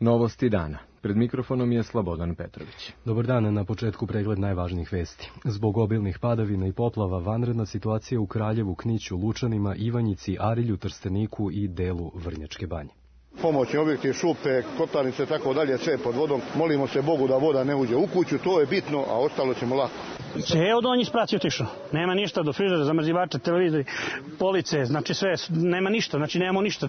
Novosti dana. Pred mikrofonom je Slobodan Petrović. Dobar dan, na početku pregled najvažnijih vesti. Zbog obilnih padavina i poplava vanredna situacija u Kraljevu, Kniću, Lučanima, Ivanjici, Arilju, Trsteniku i delu Vrnjačke Banje. Pomoćni objekti, šupe, kotlarnice, tako dalje, sve pod vodom. Molimo se Bogu da voda ne uđe u kuću, to je bitno, a ostalo ćemo lako. Ceo donji sprat je otišao. Nema ništa, do frižera, zamrzivača, televizori, police, znači sve, nema ništa, znači nemamo ništa.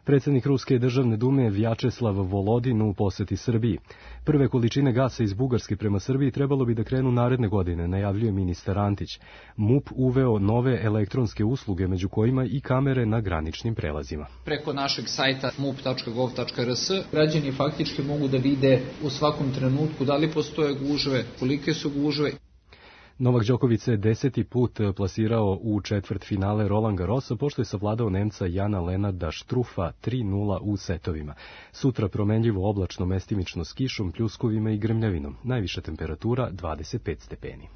Predsjednik Ruske državne dume Vjačeslav Volodin u poseti Srbiji. Prve količine gasa iz Bugarske prema Srbiji trebalo bi da krenu naredne godine, najavljuje ministar Antić. MUP uveo nove elektronske usluge, među kojima i kamere na graničnim prelazima. Preko našeg sajta mup.gov.rs građani faktički mogu da vide u svakom trenutku da li postoje gužve, kolike su gužve. Novak Đoković se 10. put plasirao u četvrtfinale Roland Garrosa, pošto je savladao Nemca Jana Lenarda Štrufa 3:0 u setovima. Sutra promenljivo oblačno, mestimično s kišom, pljuskovima i grmljavinom. Najviša temperatura 25 stepeni.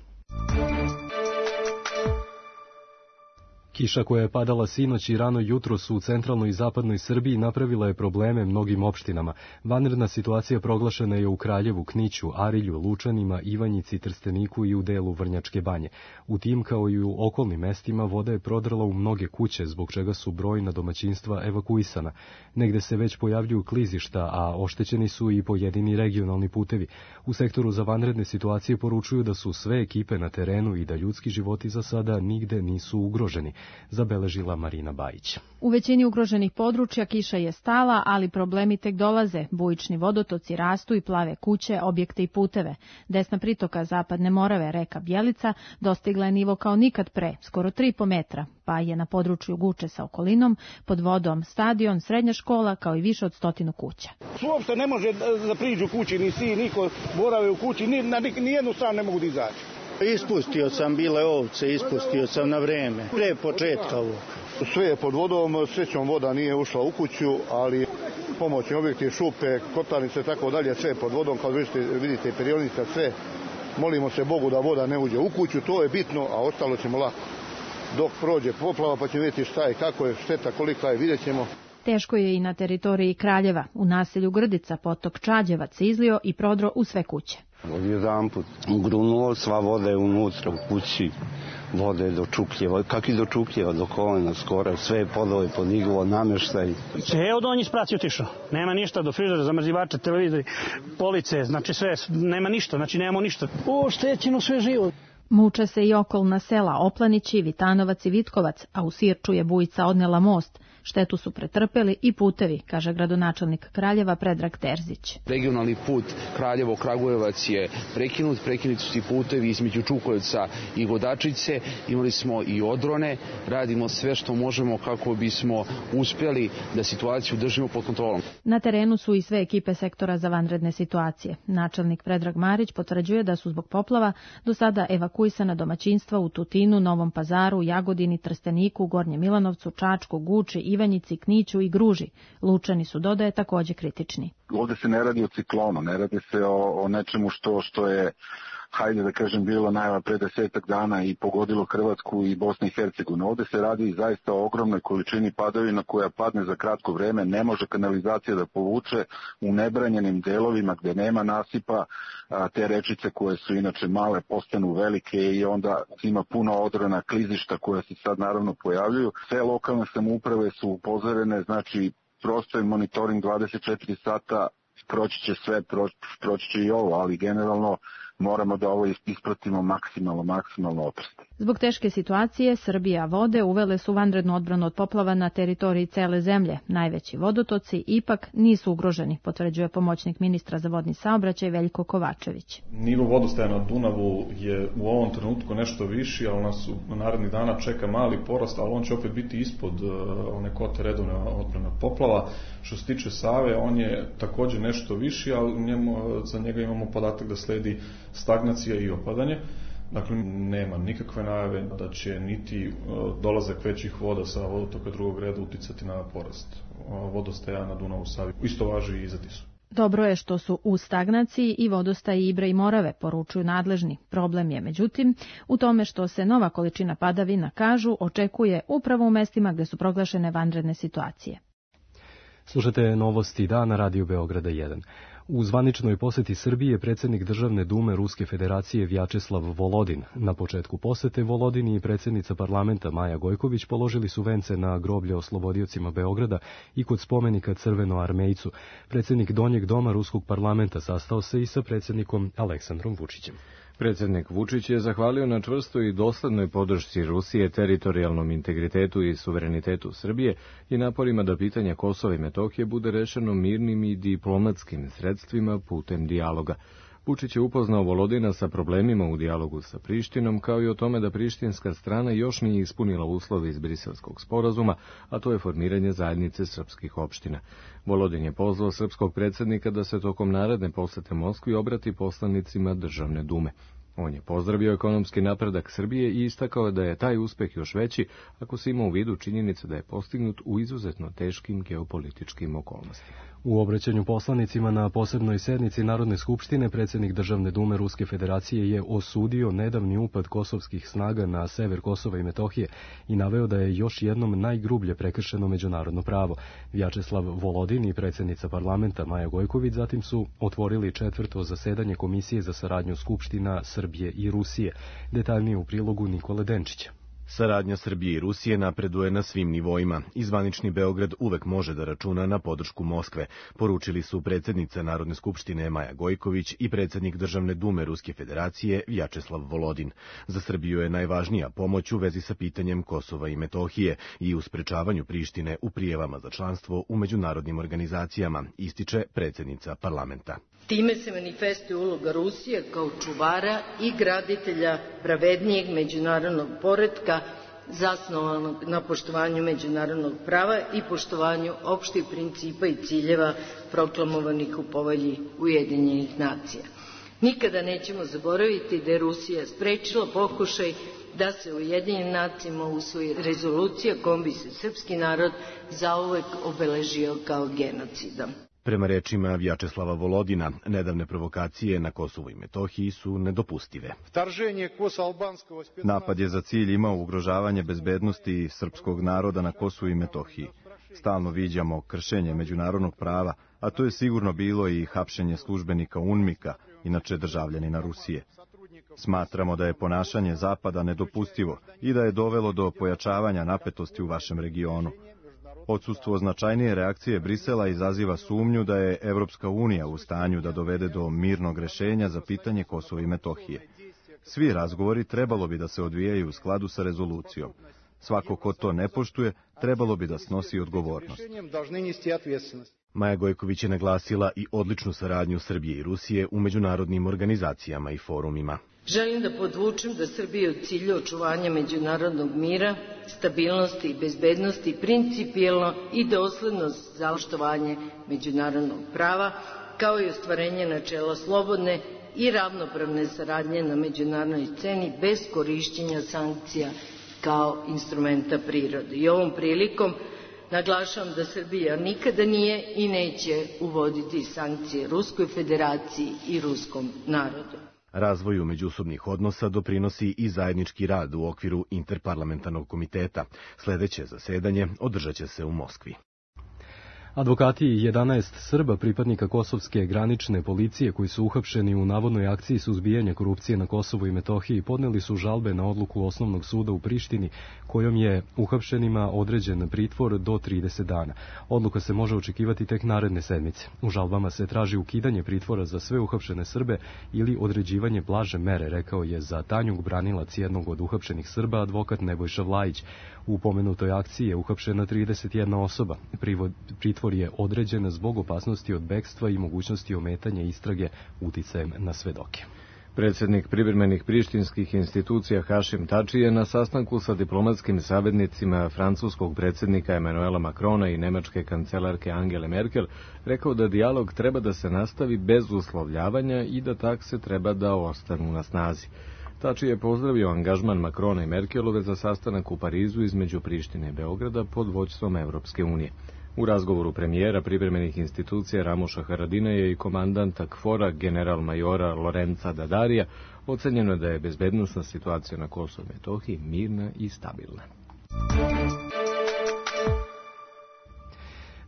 Kiša koja je padala sinoć i rano jutros u centralnoj i zapadnoj Srbiji napravila je probleme mnogim opštinama. Vanredna situacija proglašena je u Kraljevu, Kniću, Arilju, Lučanima, Ivanjici, Trsteniku i u delu Vrnjačke Banje. U tim, kao i u okolnim mestima, voda je prodrala u mnoge kuće, zbog čega su brojna domaćinstva evakuisana. Negde se već pojavljuju klizišta, a oštećeni su i pojedini regionalni putevi. U sektoru za vanredne situacije poručuju da su sve ekipe na terenu i da ljudski životi za sada nigde nisu ugroženi, zabeležila Marina Bajić. U većini ugroženih područja kiša je stala, ali problemi tek dolaze. Bujični vodotoci rastu i plave kuće, objekte i puteve. Desna pritoka Zapadne Morave, reka Bjelica, dostigla je nivo kao nikad pre, skoro 3,5 metra, pa je na području Guče sa okolinom pod vodom stadion, srednja škola, kao i više od 100 kuća. Uopšte ne može da priđu kući, ni si, niko borave u kući, ni jednu stranu ne mogu da izaći. Ispustio sam bile ovce, ispustio sam na vreme, pre početka ovog. Sve je pod vodom, srećom voda nije ušla u kuću, ali pomoćni objekti, šupe, kotlarnice, tako dalje, sve je pod vodom, kao vidite, perionica, sve. Molimo se Bogu da voda ne uđe u kuću, to je bitno, a ostalo ćemo lako. Dok prođe poplava, pa ćemo vidjeti šta je, kako je, šteta, kolika je, vidjet ćemo. Teško je i na teritoriji Kraljeva. U naselju Grdica potok Čađevac izlio i prodro u sve kuće. Odjedanput grunulo, sva voda je unutra u kući, voda je do čupljeva, kak i do čupljeva, do kolena skoro, sve je podove podiglo, namještaj. Ceo donji sprat je otišao. Nema ništa, do frižera, zamrzivača, televizori, police, znači sve, nema ništa, znači nemamo ništa. Oštećeno sve živo. Muče se i okolna sela Oplanići, Vitanovac i Vitkovac, a u Sirču je bujica odnela most. Štetu su pretrpeli i putevi, kaže gradonačelnik Kraljeva Predrag Terzić. Regionalni put Kraljevo-Kragujevac je prekinuti su putevi između Čukovca i Godačice, imali smo i odrone, radimo sve što možemo kako bismo uspjeli da situaciju držimo pod kontrolom. Na terenu su i sve ekipe sektora za vanredne situacije. Načelnik Predrag Marić potvrđuje da su zbog poplava do sada evakuisana domaćinstva u Tutinu, Novom Pazaru, Jagodini, Trsteniku, Gornjem Milanovcu, Čačku, Guči, Ivanjici, Kniću i Gruži. Lučani su, dodaje, također kritični. Ovdje se ne radi o ciklonu, ne radi se o nečemu što je, hajde da kažem, bilo najava pre 10 dana i pogodilo Hrvatsku i Bosnu i Hercegovinu. Ovdje se radi zaista o ogromnoj količini padavina koja padne za kratko vreme, ne može kanalizacija da povuče u nebranjenim delovima gdje nema nasipa, te rečice koje su inače male postanu velike i onda ima puno odrona, klizišta koja se sad naravno pojavljuju. Sve lokalne samouprave su upozorene, znači prosto je monitoring 24 sata, proći će sve, proći će i ovo, ali generalno moramo da ovo ispratimo maksimalno oprasti. Zbog teške situacije, Srbija vode uvele su vanrednu odbranu od poplava na teritoriji cele zemlje. Najveći vodotoci ipak nisu ugroženi, potvrđuje pomoćnik ministra za vodni saobraćaj Veljko Kovačević. Nivo vodostaja na Dunavu je u ovom trenutku nešto viši, ali nas u narednih dana čeka mali porast, ali on će opet biti ispod one kote redovne odbrane od poplava. Što se tiče Save, on je također nešto viši, ali za njega imamo podatak da sledi stagnacija i opadanje. Dakle, nema nikakve najave da će niti dolazak većih voda sa vodotoka drugog reda uticati na porast vodostaja na Dunavu, Savi. Isto važi i za Tisu. Dobro je što su u stagnaciji i vodostaji Ibra i Morave, poručuju nadležni. Problem je, međutim, u tome što se nova količina padavina, kažu, očekuje upravo u mestima gde su proglašene vanredne situacije. Slušate novosti dana Radio Beograda 1. U zvaničnoj poseti Srbije predsjednik Državne dume Ruske federacije Vjačeslav Volodin. Na početku posete Volodin i predsjednica parlamenta Maja Gojković položili su vence na groblje oslobodiocima Beograda i kod spomenika Crvenoarmejcu. Predsjednik Donjeg doma Ruskog parlamenta sastao se i sa predsjednikom Aleksandrom Vučićem. Predsjednik Vučić je zahvalio na čvrstoj i doslednoj podršci Rusije teritorijalnom integritetu i suverenitetu Srbije i naporima da pitanje Kosova i Metohije bude rešeno mirnim i diplomatskim sredstvima putem dijaloga. Vučić je upoznao Volodina sa problemima u dijalogu sa Prištinom, kao i o tome da prištinska strana još nije ispunila uslove iz Briselskog sporazuma, a to je formiranje zajednice srpskih opština. Volodin je pozvao srpskog predsjednika da se tokom naredne posete Moskvi obrati poslanicima Državne dume. On je pozdravio ekonomski napredak Srbije i istakao da je taj uspeh još veći ako se ima u vidu činjenica da je postignut u izuzetno teškim geopolitičkim okolnostima. U obraćanju poslanicima na posebnoj sednici Narodne skupštine predsjednik Državne dume Ruske federacije je osudio nedavni upad kosovskih snaga na sever Kosova i Metohije i naveo da je još jednom najgrublje prekršeno međunarodno pravo. Vjačeslav Volodin i predsjednica parlamenta Maja Gojković zatim su otvorili 4. zasedanje Komisije za saradnju skupština Srbije i Rusije. Detaljnije u prilogu Nikole Denčića. Saradnja Srbije i Rusije napreduje na svim nivoima i zvanični Beograd uvek može da računa na podršku Moskve, poručili su predsjednica Narodne skupštine Maja Gojković i predsjednik Državne dume Ruske federacije Vjačeslav Volodin. Za Srbiju je najvažnija pomoć u vezi sa pitanjem Kosova i Metohije i u sprečavanju Prištine u prijavama za članstvo u međunarodnim organizacijama, ističe predsjednica parlamenta. Time se manifestuje uloga Rusije kao čuvara i graditelja pravednijeg međunarodnog poretka zasnovanog na poštovanju međunarodnog prava i poštovanju opštih principa i ciljeva proklamovanih u Povelji Ujedinjenih nacija. Nikada nećemo zaboraviti da je Rusija sprečila pokušaj da se u Ujedinjenim nacijama usvoji rezolucija kojom bi se srpski narod zauvek obeležio kao genocidan. Prema rečima Vjačeslava Volodina, nedavne provokacije na Kosovu i Metohiji su nedopustive. Napad je za cilj imao ugrožavanje bezbednosti srpskog naroda na Kosovu i Metohiji. Stalno viđamo kršenje međunarodnog prava, a to je sigurno bilo i hapšenje službenika UNMIK-a, inače državljanina Rusije. Smatramo da je ponašanje Zapada nedopustivo i da je dovelo do pojačavanja napetosti u vašem regionu. Odsustvo značajnije reakcije Brisela izaziva sumnju da je Evropska unija u stanju da dovede do mirnog rešenja za pitanje Kosova i Metohije. Svi razgovori trebalo bi da se odvijaju u skladu sa rezolucijom. Svako ko to ne poštuje, trebalo bi da snosi odgovornost. Maja Gojković je naglasila i odličnu saradnju Srbije i Rusije u međunarodnim organizacijama i forumima. Želim da podvučem da Srbija u cilju očuvanja međunarodnog mira, stabilnosti i bezbednosti principijelno i dosledno za poštovanje međunarodnog prava, kao i ostvarenje načela slobodne i ravnopravne saradnje na međunarodnoj sceni bez korišćenja sankcija kao instrumenta prirode. I ovom prilikom naglašavam da Srbija nikada nije i neće uvoditi sankcije Ruskoj federaciji i ruskom narodu. Razvoju međusobnih odnosa doprinosi i zajednički rad u okviru Interparlamentarnog komiteta. Sledeće zasedanje održat će se u Moskvi. Advokati 11 Srba pripadnika kosovske granične policije koji su uhapšeni u navodnoj akciji suzbijanja korupcije na Kosovu i Metohiji podneli su žalbe na odluku Osnovnog suda u Prištini kojom je uhapšenima određen pritvor do 30 dana. Odluka se može očekivati tek naredne sedmice. U žalbama se traži ukidanje pritvora za sve uhapšene Srbe ili određivanje blaže mere, rekao je za Tanjug branilac jednog od uhapšenih Srba advokat Nebojša Vlajić. U pomenutoj akciji je uhapšena 31 osoba. Pritvor je određen zbog opasnosti od bekstva i mogućnosti ometanja istrage uticajem na svedoke. Predsjednik privremenih prištinskih institucija Hašim Tači je na sastanku sa diplomatskim savjetnicima francuskog predsjednika Emanuela Macrona i nemačke kancelarke Angele Merkel rekao da dijalog treba da se nastavi bez uslovljavanja i da takse treba da ostanu na snazi. Tači je pozdravio angažman Macrona i Merkelove za sastanak u Parizu između Prištine i Beograda pod vođstvom Evropske unije. U razgovoru premijera privremenih institucija Ramoša Haradinaja i komandanta KFOR-a general-majora Lorenca Dadarija ocenjeno da je bezbednosna situacija na Kosovu i Metohiji mirna i stabilna.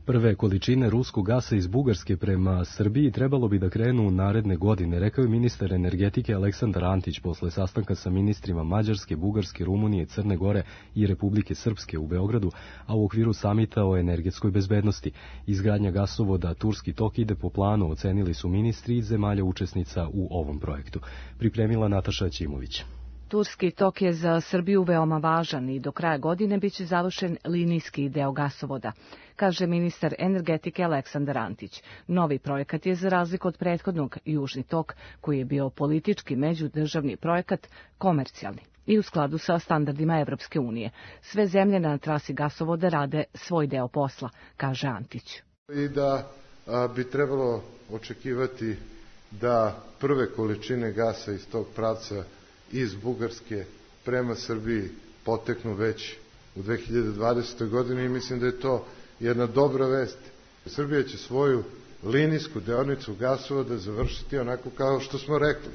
Prve količine ruskog gasa iz Bugarske prema Srbiji trebalo bi da krenu naredne godine, rekao je ministar energetike Aleksandar Antić posle sastanka sa ministrima Mađarske, Bugarske, Rumunije, Crne Gore i Republike Srpske u Beogradu, a u okviru samita o energetskoj bezbednosti. Izgradnja gasovoda Turski tok ide po planu, ocenili su ministri iz zemalja učesnica u ovom projektu. Pripremila Nataša Ćimović. Turski tok je za Srbiju veoma važan i do kraja godine biće završen linijski deo gasovoda, kaže ministar energetike Aleksandar Antić. Novi projekat je, za razliku od prethodnog, Južni tok, koji je bio politički međudržavni projekat, komercijalni i u skladu sa standardima Evropske unije. Sve zemlje na trasi gasovoda rade svoj deo posla, kaže Antić. I da bi trebalo očekivati da prve količine gasa iz tog pravca iz Bugarske prema Srbiji poteknu već u 2020. godini i mislim da je to jedna dobra vest. Srbija će svoju linijsku deonicu gasovoda završiti onako kao što smo rekli,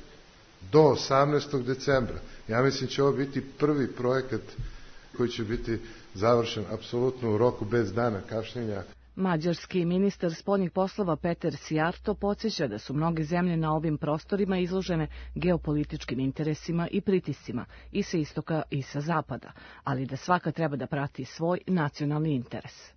do 18. decembra. Ja mislim će ovo biti prvi projekat koji će biti završen apsolutno u roku bez dana kašnjenja. Mađarski ministar spoljnih poslova Peter Sijarto podsjeća da su mnoge zemlje na ovim prostorima izložene geopolitičkim interesima i pritiscima i sa istoka i sa zapada, ali da svaka treba da prati svoj nacionalni interes.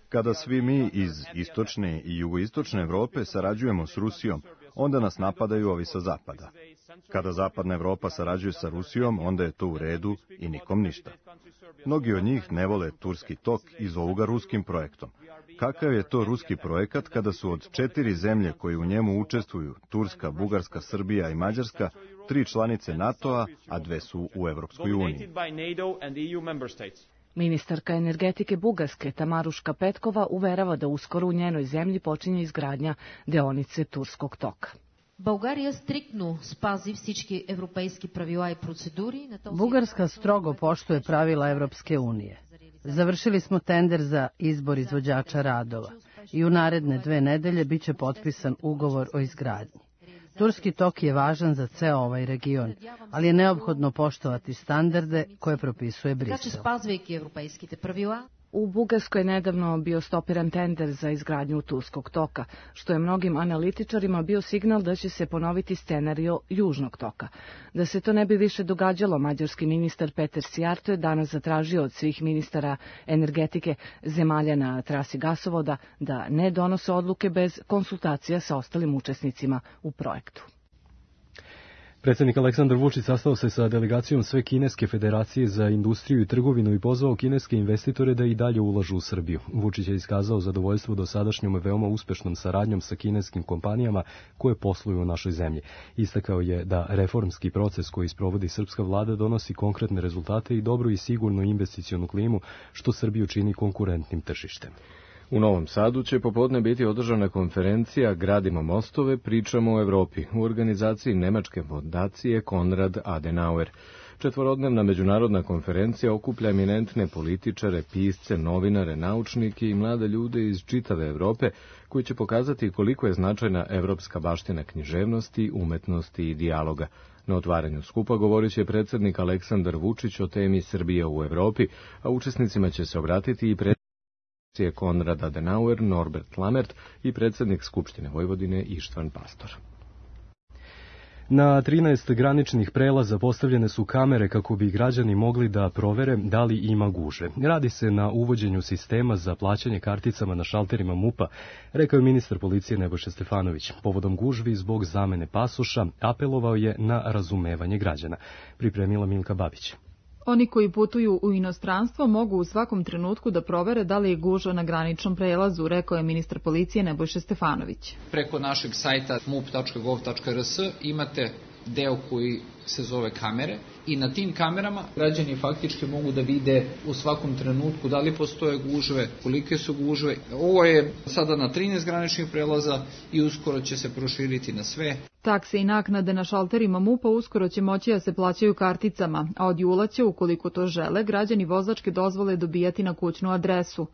Kada svi mi iz istočne i jugoistočne Evrope sarađujemo s Rusijom, onda nas napadaju ovi sa zapada. Kada zapadna Evropa sarađuje sa Rusijom, onda je to u redu i nikom ništa. Mnogi od njih ne vole Turski tok i zovu ga ruskim projektom. Kakav je to ruski projekat kada su od 4 zemlje koje u njemu učestvuju, Turska, Bugarska, Srbija i Mađarska, 3 članice NATO-a, a 2 su u Evropskoj uniji? Ministarka energetike Bugarske Tamaruška Petkova uverava da uskoro u njenoj zemlji počinje izgradnja deonice Turskog toka. Bugarska strogo poštuje pravila Evropske unije. Završili smo tender za izbor izvođača radova i u naredne 2 nedelje biće potpisan ugovor o izgradnji. Turski tok je važan za ceo ovaj region, ali je neophodno poštovati standarde koje propisuje Brisel. U Bugarskoj je nedavno bio stopiran tender za izgradnju Turskog toka, što je mnogim analitičarima bio signal da će se ponoviti scenario Južnog toka. Da se to ne bi više događalo, mađarski ministar Peter Sijarto je danas zatražio od svih ministara energetike zemalja na trasi gasovoda da ne donose odluke bez konsultacija sa ostalim učesnicima u projektu. Predsjednik Aleksandar Vučić sastao se sa delegacijom Sve kineske federacije za industriju i trgovinu i pozvao kineske investitore da i dalje ulažu u Srbiju. Vučić je iskazao zadovoljstvo dosadašnjom veoma uspešnom saradnjom sa kineskim kompanijama koje posluju u našoj zemlji. Istakao je da reformski proces koji sprovodi srpska vlada donosi konkretne rezultate i dobru i sigurnu investicionu klimu, što Srbiju čini konkurentnim tržištem. U Novom Sadu će popodne biti održana konferencija Gradimo mostove, pričamo o Evropi u organizaciji nemačke fondacije Konrad Adenauer. 4-dnevna međunarodna konferencija okuplja eminentne političare, pisce, novinare, naučnike i mlade ljude iz čitave Evrope koji će pokazati koliko je značajna evropska baština književnosti, umetnosti i dijaloga. Na otvaranju skupa govorit će predsjednik Aleksandar Vučić o temi Srbije u Evropi, a učesnicima će se obratiti i je Konrad Adenauer, Norbert Lammert i predsjednik Skupštine Vojvodine Ištvan Pastor. Na 13 graničnih prelaza postavljene su kamere kako bi građani mogli da provere da li ima gužve. Radi se na uvođenju sistema za plaćanje karticama na šalterima MUP-a, rekao je ministar policije Nebojša Stefanović. Povodom gužvi zbog zamene pasoša apelovao je na razumevanje građana. Pripremila Milka Babić. Oni koji putuju u inostranstvo mogu u svakom trenutku da provere da li je gužva na graničnom prelazu, rekao je ministar policije Nebojša Stefanović. Preko našeg sajta mup.gov.rs imate deo koji se zove kamere i na tim kamerama građani faktički mogu da vide u svakom trenutku da li postoje gužve, kolike su gužve. Ovo je sada na 13 graničnih prelaza i uskoro će se proširiti na sve. Takse i naknade na šalterima MUP-a uskoro će moći da se plaćaju karticama, a od jula će, ukoliko to žele, građani vozačke dozvole dobijati na kućnu adresu.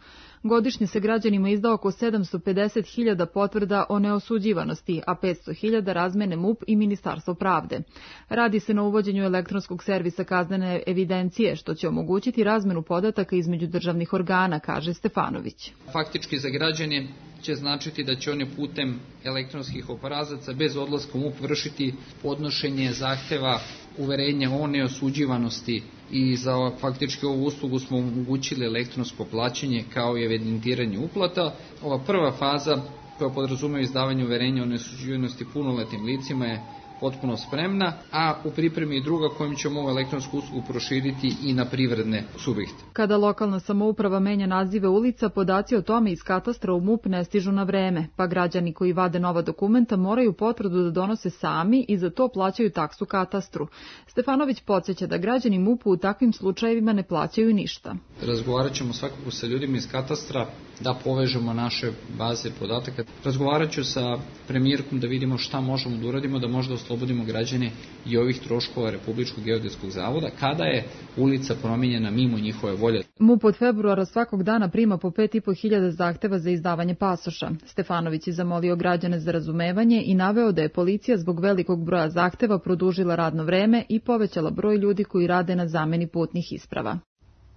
Godišnje se građanima izda oko 750.000 potvrda o neosuđivanosti, a 500.000 razmene MUP i Ministarstvo pravde. Radi se na uvođenju elektronskog servisa kaznene evidencije, što će omogućiti razmenu podataka između državnih organa, kaže Stefanović. Faktički za građane će značiti da će oni putem elektronskih obrazaca bez odlaska u MUP vršiti podnošenje zahteva uverenja o neosuđivanosti i za faktički ovu uslugu smo omogućili elektronsko plaćanje kao i evidentiranje uplata. Ova prva faza koja podrazumeva izdavanje uverenja o neosuđivanosti punoletnim licima je potpuno spremna, a u pripremi je druga kojom ćemo ovu elektronsku uslugu proširiti i na privredne subjekte. Kada lokalna samouprava menja nazive ulica, podaci o tome iz katastra u MUP ne stižu na vreme, pa građani koji vade nova dokumenta moraju potvrdu da donose sami i za to plaćaju taksu katastru. Stefanović podsjeća da građani MUP-u u takvim slučajevima ne plaćaju ništa. Razgovarat ćemo svakako sa ljudima iz katastra da povežemo naše baze podataka. Razgovarat ću sa premijerkom da vidimo šta možemo da uradimo, da možda oslobodimo građane i ovih troškova Republičkog geodetskog zavoda kada je ulica promijenjena mimo njihove volje. MUP od februara svakog dana prima po 5.500 zahteva za izdavanje pasoša. Stefanović je zamolio građane za razumevanje i naveo da je policija zbog velikog broja zahteva produžila radno vreme i povećala broj ljudi koji rade na zameni putnih isprava.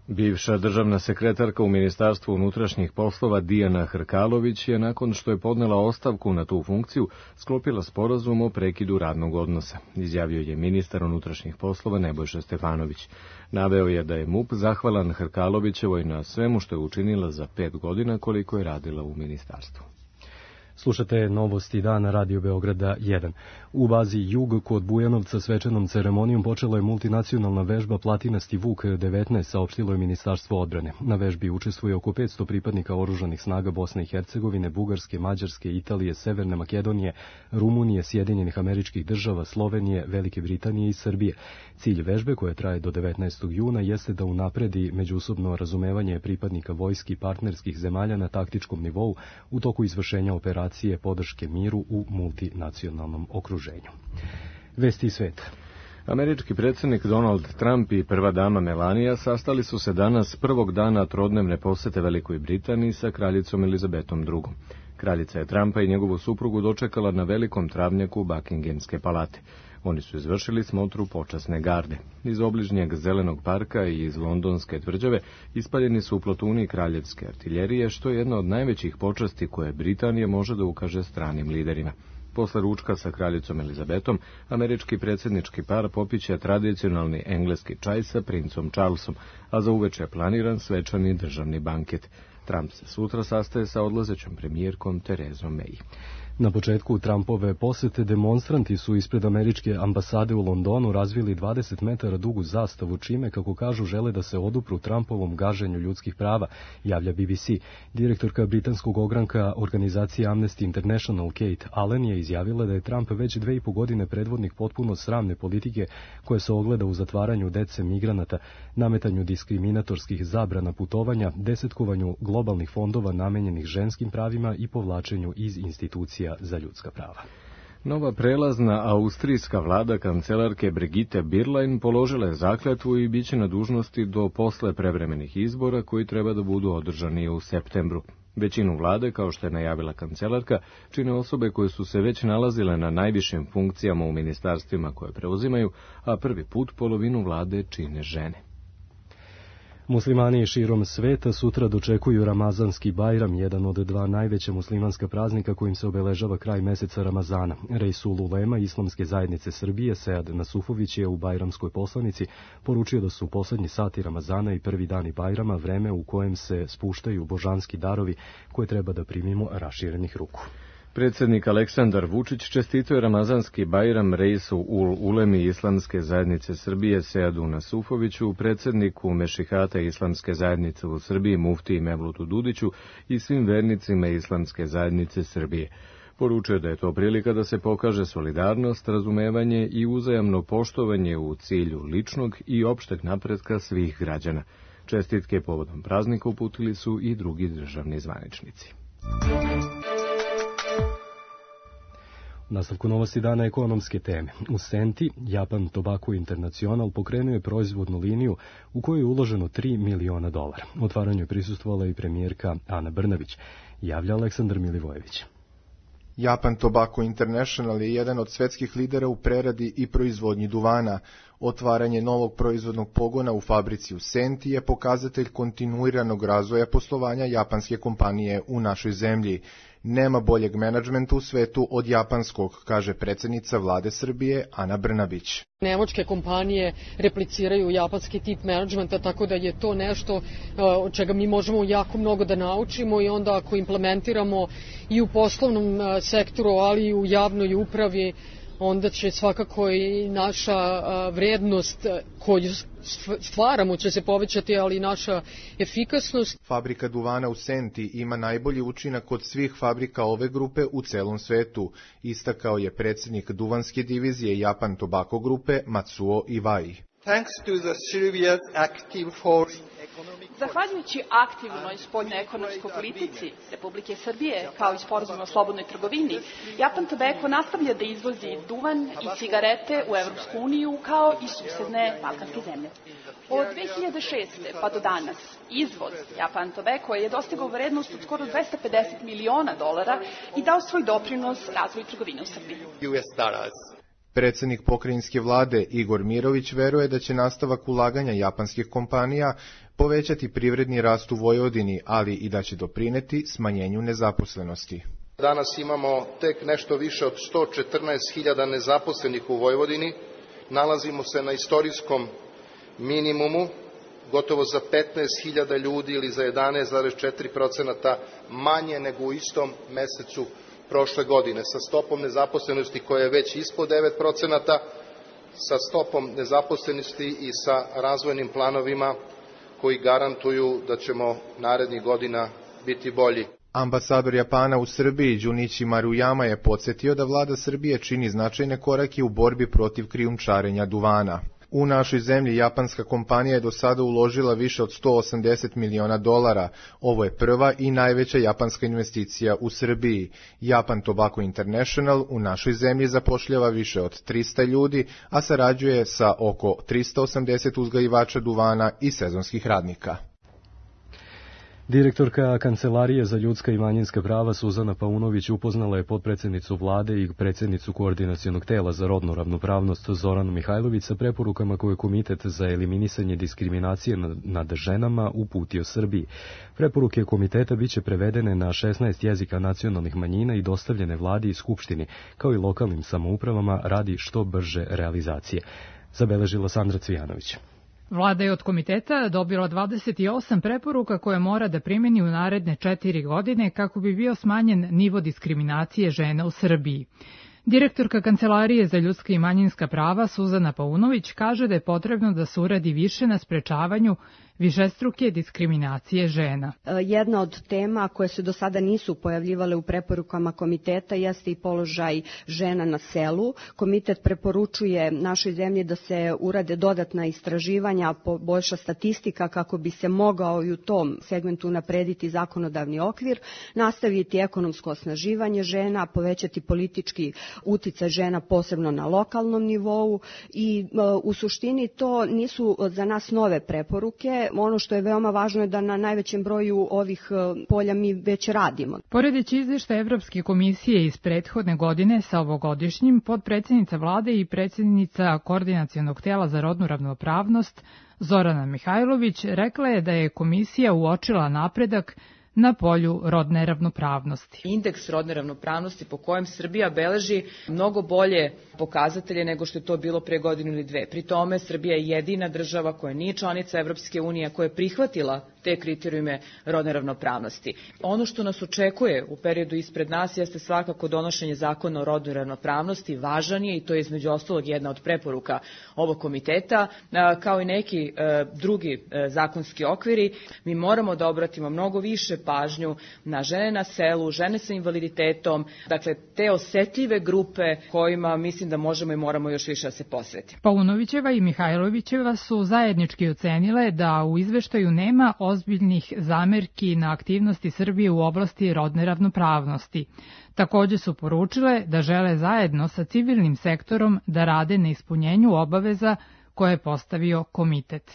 Bivša državna sekretarka u Ministarstvu unutrašnjih poslova Dijana Hrkalović je nakon što je podnela ostavku na tu funkciju sklopila sporazum o prekidu radnog odnosa, izjavio je ministar unutrašnjih poslova Nebojša Stefanović. Naveo je da je MUP zahvalan Hrkalovićevoj na svemu što je učinila za 5 godina koliko je radila u ministarstvu. Slušate Novosti dana Radio Beograda 1. U bazi Jug kod Bujanovca svečanom ceremonijom počela je multinacionalna vežba Platinasti Vuk 19, saopštilo je Ministarstvo odbrane. Na vežbi učestvuje oko 500 pripadnika oružanih snaga Bosne i Hercegovine, Bugarske, Mađarske, Italije, Severne Makedonije, Rumunije, Sjedinjenih Američkih Država, Slovenije, Velike Britanije i Srbije. Cilj vežbe, koja traje do 19. juna, jeste da unapredi međusobno razumevanje pripadnika vojski partnerskih zemalja na taktičkom nivou u toku izvršenja operacije podrške miru u multinacionalnom okruženju. Vesti sveta. Američki predsjednik Donald Trump i prva dama Melania sastali su se danas prvog dana trodnevne posete Velikoj Britaniji sa kraljicom Elizabetom II. Kraljica je Trumpa i njegovu suprugu dočekala na velikom travnjaku Buckinghamske palate. Oni su izvršili smotru počasne garde. Iz obližnjeg Zelenog parka i iz Londonske tvrđave ispaljeni su plotuni kraljevske artiljerije, što je jedna od najvećih počasti koje Britanija može da ukaže stranim liderima. Posle ručka sa kraljicom Elizabetom, američki predsjednički par popiće tradicionalni engleski čaj sa princom Charlesom, a za uveče je planiran svečani državni banket. Trump se sutra sastaje sa odlazećom premijerkom Terezom May. Na početku Trumpove posete demonstranti su ispred američke ambasade u Londonu razvili 20 metara dugu zastavu, čime, kako kažu, žele da se odupru Trumpovom gaženju ljudskih prava, javlja BBC. Direktorka britanskog ogranka organizacije Amnesty International Kate Allen je izjavila da je Trump već 2,5 godine predvodnik potpuno sramne politike koja se ogleda u zatvaranju dece migranata, nametanju diskriminatorskih zabrana putovanja, desetkovanju globalnih fondova namenjenih ženskim pravima i povlačenju iz institucija za ljudska prava. Nova prelazna austrijska vlada kancelarke Brigitte Bierlein položila je zakletvu i biće na dužnosti do posle prevremenih izbora koji treba da budu održani u septembru. Većinu vlade, kao što je najavila kancelarka, čine osobe koje su se već nalazile na najvišim funkcijama u ministarstvima koje preuzimaju, a prvi put polovinu vlade čine žene. Muslimani širom sveta sutra dočekuju Ramazanski Bajram, jedan od dva najveća muslimanska praznika kojim se obeležava kraj meseca Ramazana. Reisul Ulema Islamske zajednice Srbije, Sead Nasufović, je u Bajramskoj poslanici poručio da su poslednji sati Ramazana i prvi dani Bajrama vreme u kojem se spuštaju božanski darovi koje treba da primimo raširenih ruku. Predsjednik Aleksandar Vučić čestitao je Ramazanski Bajram reisu Ulemi Islamske zajednice Srbije Seadu Nasufoviću, predsjedniku Mešihata Islamske zajednice u Srbiji muftiji Mevlutu Dudiću i svim vernicima Islamske zajednice Srbije. Poručio da je to prilika da se pokaže solidarnost, razumevanje i uzajamno poštovanje u cilju ličnog i opšteg napretka svih građana. Čestitke povodom praznika uputili su i drugi državni zvaničnici. U nastavku Novosti dana ekonomske teme. U Senti, Japan Tobacco International pokrenuo je proizvodnu liniju u kojoj je uloženo $3 miliona. Otvaranju je prisustvovala i premijerka Ana Brnabić, javlja Aleksandar Milivojević. Japan Tobacco International je jedan od svetskih lidera u preradi i proizvodnji duvana. Otvaranje novog proizvodnog pogona u fabrici u Senti je pokazatelj kontinuiranog razvoja poslovanja japanske kompanije u našoj zemlji. Nema boljeg menadžmenta u svetu od japanskog, kaže predsjednica vlade Srbije Ana Brnabić. Nemačke kompanije repliciraju japanski tip menadžmenta, tako da je to nešto od čega mi možemo jako mnogo da naučimo i onda ako implementiramo i u poslovnom sektoru, ali i u javnoj upravi, onda će svakako i naša vrednost koju stvaramo će se povećati, ali i naša efikasnost. Fabrika duvana u Senti ima najbolji učinak od svih fabrika ove grupe u celom svetu, istakao je predsjednik duvanske divizije Japan Tobacco grupe Matsuo Iwai. Thanks to the Serbia's active force. Zahvaljujući aktivnoj spoljnoekonomskoj politici Republike Srbije, kao i sporazumu o slobodnoj trgovini, Japan Tobacco nastavlja da izvozi duvan i cigarete u Evropsku uniju, kao i susedne balkanske zemlje. Od 2006. pa do danas, izvoz Japan Tobacco je dostigao vrednost od skoro $250 miliona i dao svoj doprinos razvoju trgovine u Srbiji. Predsjednik pokrajinske vlade Igor Mirović veruje da će nastavak ulaganja japanskih kompanija povećati privredni rast u Vojvodini, ali i da će doprineti smanjenju nezaposlenosti. Danas imamo tek nešto više od 114.000 nezaposlenih u Vojvodini. Nalazimo se na istorijskom minimumu, gotovo za 15.000 ljudi ili za 11,4% manje nego u istom mesecu prošle godine, sa stopom nezaposlenosti koja je već ispod 9%, sa stopom nezaposlenosti i sa razvojnim planovima koji garantuju da ćemo narednih godina biti bolji. Ambasador Japana u Srbiji Junichi Maruyama je podsjetio da vlada Srbije čini značajne korake u borbi protiv krijumčarenja duvana. U našoj zemlji japanska kompanija je do sada uložila više od $180 miliona. Ovo je prva i najveća japanska investicija u Srbiji. Japan Tobacco International u našoj zemlji zapošljava više od 300 ljudi, a sarađuje sa oko 380 uzgajivača duvana i sezonskih radnika. Direktorka Kancelarije za ljudska i manjinska prava Suzana Paunović upoznala je potpredsjednicu vlade i predsjednicu koordinacionog tela za rodnu ravnopravnost Zoranu Mihajlović sa preporukama koje je Komitet za eliminisanje diskriminacije nad ženama uputio Srbiji. Preporuke komiteta biće prevedene na 16 jezika nacionalnih manjina i dostavljene vladi i skupštini, kao i lokalnim samoupravama radi što brže realizacije. Zabeležila Sandra Cvijanović. Vlada je od komiteta dobila 28 preporuka koje mora da primeni u naredne 4 godine kako bi bio smanjen nivo diskriminacije žena u Srbiji. Direktorka Kancelarije za ljudska i manjinska prava Suzana Paunović kaže da je potrebno da se uradi više na sprečavanju višestruke diskriminacije žena. Jedna od tema koje se do sada nisu pojavljivale u preporukama komiteta jeste i položaj žena na selu. Komitet preporučuje našoj zemlji da se urade dodatna istraživanja, poboljša statistika kako bi se mogao i u tom segmentu naprediti zakonodavni okvir, nastaviti ekonomsko osnaživanje žena, povećati politički uticaj žena posebno na lokalnom nivou i u suštini to nisu za nas nove preporuke. Ono što je veoma važno je da na najvećem broju ovih polja mi već radimo. Poredeći izveštaj Evropske komisije iz prethodne godine sa ovogodišnjim, potpredsjednica vlade i predsjednica koordinacionog tela za rodnu ravnopravnost Zorana Mihajlović rekla je da je komisija uočila napredak na polju rodne ravnopravnosti. Indeks rodne ravnopravnosti po kojem Srbija beleži mnogo bolje pokazatelje nego što je to bilo pre godinu ili dve. Pri tome Srbija je jedina država koja nije članica Evropske unije koja je prihvatila te kriterijume rodne ravnopravnosti. Ono što nas očekuje u periodu ispred nas jeste svakako donošenje zakona o rodnoj ravnopravnosti, važan je i to je između ostalog jedna od preporuka ovog komiteta, kao i neki drugi zakonski okviri. Mi moramo da obratimo mnogo više pažnju na žene na selu, žene sa invaliditetom, dakle te osetljive grupe kojima mislim da možemo i moramo još više da se posvetimo. Paunovićeva i Mihajlovićeva su zajednički ocenile da u izveštaju nema ozbiljnih zamerki na aktivnosti Srbije u oblasti rodne ravnopravnosti. Takođe su poručile da žele zajedno sa civilnim sektorom da rade na ispunjenju obaveza koje je postavio komitet.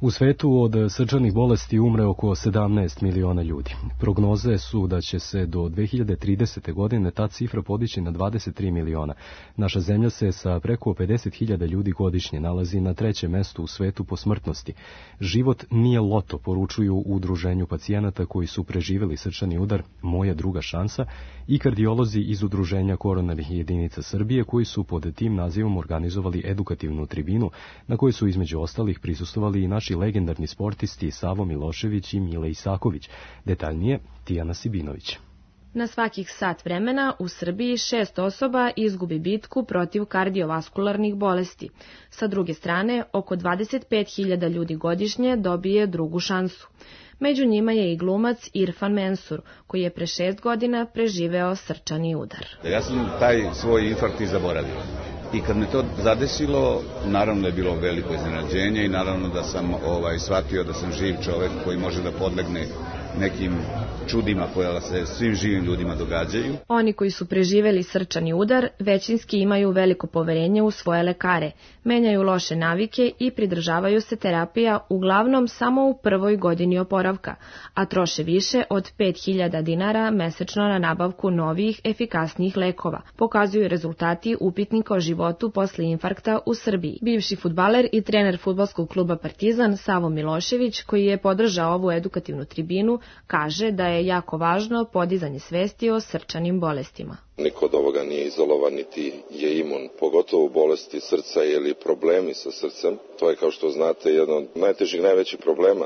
U svetu od srčanih bolesti umre oko 17 miliona ljudi. Prognoze su da će se do 2030. godine ta cifra podići na 23 miliona. Naša zemlja se sa preko 50.000 ljudi godišnje nalazi na 3. mestu u svetu po smrtnosti. Život nije loto, poručuju u udruženju pacijenata koji su preživjeli srčani udar Moja druga šansa i kardiolozi iz udruženja koronarnih jedinica Srbije koji su pod tim nazivom organizovali edukativnu tribinu na kojoj su između ostalih prisustvovali i naši legendarni sportisti Savo Milošević i Mile Isaković. Detaljnije, Tijana Sibinović. Na svakih sat vremena u Srbiji 6 osoba izgubi bitku protiv kardiovaskularnih bolesti. Sa druge strane, oko 25.000 ljudi godišnje dobije drugu šansu. Među njima je i glumac Irfan Mensur, koji je pre 6 godina preživeo srčani udar. Ja sam taj svoj infarkt i zaboravio. I kad me to zadesilo, naravno da je bilo veliko iznenađenje i naravno da sam shvatio da sam živ čovek koji može da podlegne nekim čudima koja se svim živim ljudima događaju. Oni koji su preživeli srčani udar većinski imaju veliko poverenje u svoje lekare, menjaju loše navike i pridržavaju se terapija uglavnom samo u prvoj godini oporavka, a troše više od 5.000 dinara mesečno na nabavku novih, efikasnijih lekova, pokazuju rezultati upitnika o životu posle infarkta u Srbiji. Bivši fudbaler i trener fudbalskog kluba Partizan Savo Milošević, koji je podržao ovu edukativnu tribinu, kaže da je jako važno podizanje svesti o srčanim bolestima. Niko od ovoga nije izolovan, niti je imun, pogotovo bolesti srca ili problemi sa srcem. To je, kao što znate, jedan od najtežih, najvećih problema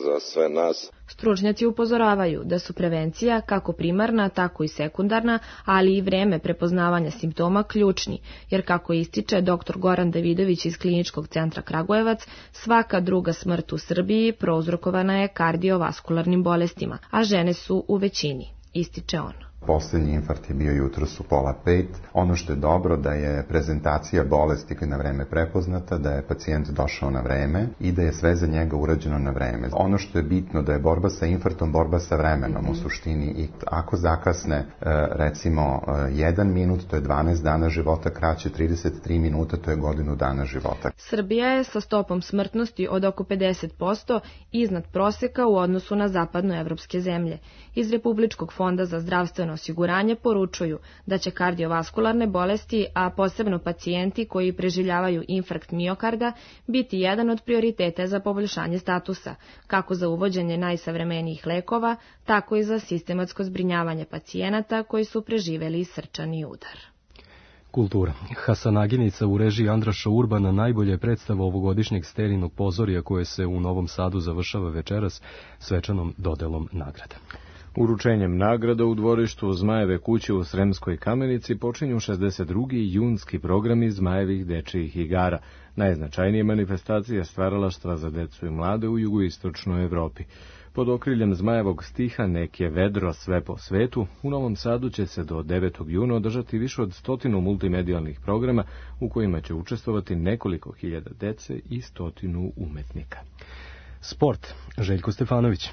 za sve nas. Stručnjaci upozoravaju da su prevencija, kako primarna, tako i sekundarna, ali i vreme prepoznavanja simptoma ključni, jer kako ističe dr. Goran Davidović iz Kliničkog centra Kragujevac, svaka druga smrt u Srbiji prouzrokovana je kardiovaskularnim bolestima, a žene su u većini, ističe on. Poslednji infarkt je bio jutros u 4:30. Ono što je dobro da je prezentacija bolesti na vreme prepoznata, da je pacijent došao na vreme i da je sve za njega urađeno na vreme. Ono što je bitno da je borba sa infarktom borba sa vremenom u suštini i ako zakasne recimo 1 minut, to je 12 dana života, kraće 33 minuta, to je godinu dana života. Srbija je sa stopom smrtnosti od oko 50% iznad proseka u odnosu na zapadnoevropske zemlje. Iz Republičkog fonda za zdravstveno osiguranje poručuju da će kardiovaskularne bolesti, a posebno pacijenti koji preživljavaju infarkt miokarda, biti jedan od prioriteta za poboljšanje statusa, kako za uvođenje najsavremenijih lekova, tako i za sistematsko zbrinjavanje pacijenata koji su preživeli srčani udar. Kultura. Hasanaginica u režiji Andraša Urbana najbolje je predstava ovogodišnjeg Sterinog pozorija koje se u Novom Sadu završava večeras svečanom dodelom nagrada. Uručenjem nagrada u dvorištu Zmajeve kuće u Sremskoj Kamenici počinju 62. junski programi Zmajevih dečijih igara, najznačajnije manifestacije stvaralaštva za decu i mlade u jugoistočnoj Evropi. Pod okriljem Zmajevog stiha Nek je vedro sve po svetu, u Novom Sadu će se do 9. juna održati više od 100 multimedijalnih programa u kojima će učestvovati nekoliko hiljada dece i 100 umetnika. Sport. Željko Stefanović.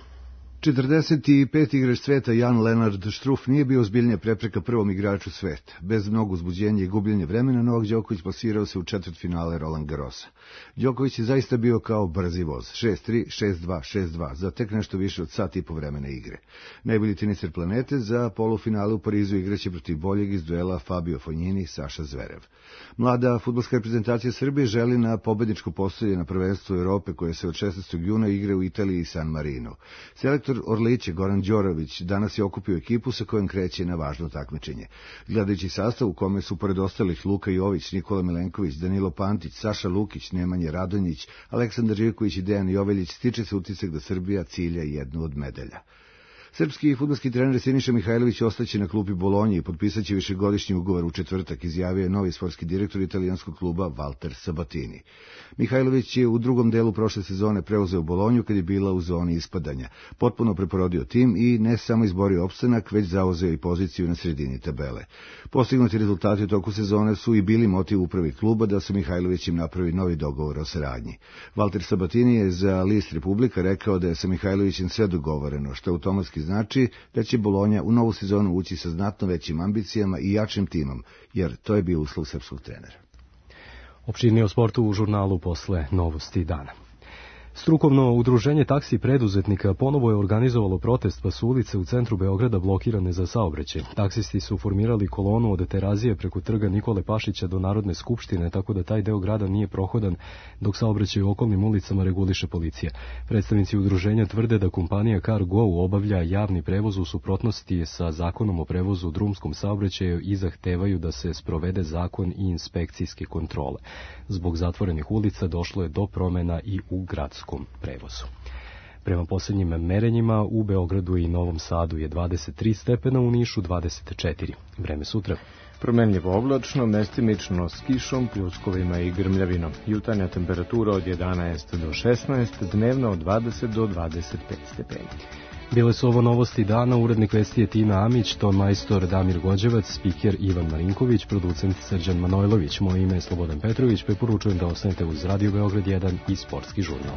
45. igrač sveta Jan Lenard Struff nije bio ozbiljnija prepreka prvom igraču sveta. Bez mnogo uzbuđenja i gubljenja vremena, Novak Đoković plasirao se u četvrtfinale Roland Garrosa. Đoković je zaista bio kao brzi voz, 6-3, 6-2, 6-2, za tek nešto više od sat i po vremena igre. Najbolji teniser planete za polufinale u Parizu igraće protiv boljeg iz duela Fabio Fognini i Saša Zverev. Mlada fudbalska reprezentacija Srbije želi na pobedničko postoje na prvenstvu Evrope koje se od 16. juna igra u Italiji i San Marino. Selektor Orliće Goran Đorović danas je okupio ekipu sa kojom kreće na važno takmičenje. Gledajući sastav u kome su pored ostalih Luka Jović, Nikola Milenković, Danilo Pantić, Saša Lukić, Nemanja Radonjić, Aleksandar Živković i Dejan Joveljić, stiče se utisak da Srbija cilja jednu od medalja. Srpski fudbalski trener Siniša Mihajlović ostaće na klupi Bolonji i potpisaće višegodišnji ugovor u četvrtak, izjavio je novi sportski direktor italijanskog kluba Walter Sabatini. Mihajlović je u drugom delu prošle sezone preuzeo Bolonju kad je bila u zoni ispadanja, potpuno preporodio tim i ne samo izborio opstanak, već zauzeo i poziciju na sredini tabele. Postignuti rezultati u toku sezone su i bili motiv upravi kluba da su Mihajlović im napravi novi dogovor o saradnji. Walter Sabatini je za list Republika rekao da je sa Mihajlovićem sve dogovoreno, što automatski znači da će Bolonja u novu sezonu ući sa znatno većim ambicijama i jačim timom, jer to je bio uslov srpskog trenera. Opširnije o sportu u žurnalu posle Novosti dana. Strukovno udruženje taksi preduzetnika ponovo je organizovalo protest, pa su ulice u centru Beograda blokirane za saobraćaj. Taksisti su formirali kolonu od Terazije preko trga Nikole Pašića do Narodne skupštine, tako da taj deo grada nije prohodan, dok saobraćaj u okolnim ulicama reguliše policija. Predstavnici udruženja tvrde da kompanija CarGo obavlja javni prevoz u suprotnosti sa zakonom o prevozu u drumskom saobraćaju i zahtevaju da se sprovede zakon i inspekcijske kontrole. Zbog zatvorenih ulica došlo je do promjena i u gradskom prevozu. Prema posljednjim merenjima u Beogradu i Novom Sadu je 23 stepena, u Nišu 24. Vreme sutra. Promenljivo oblačno, mestimično s kišom, pljuskovima i grmljavinom. Jutarnja temperatura od 11 do 16, dnevno od 20 do 25 stepeni. Bile su ovo novosti dana, urednik vesti je Tina Amić, ton majstor Damir Gođevac, spiker Ivan Marinković, producent Srđan Manojlović. Moje ime je Slobodan Petrović, preporučujem da ostanete uz Radio Beograd 1 i Sportski žurnal.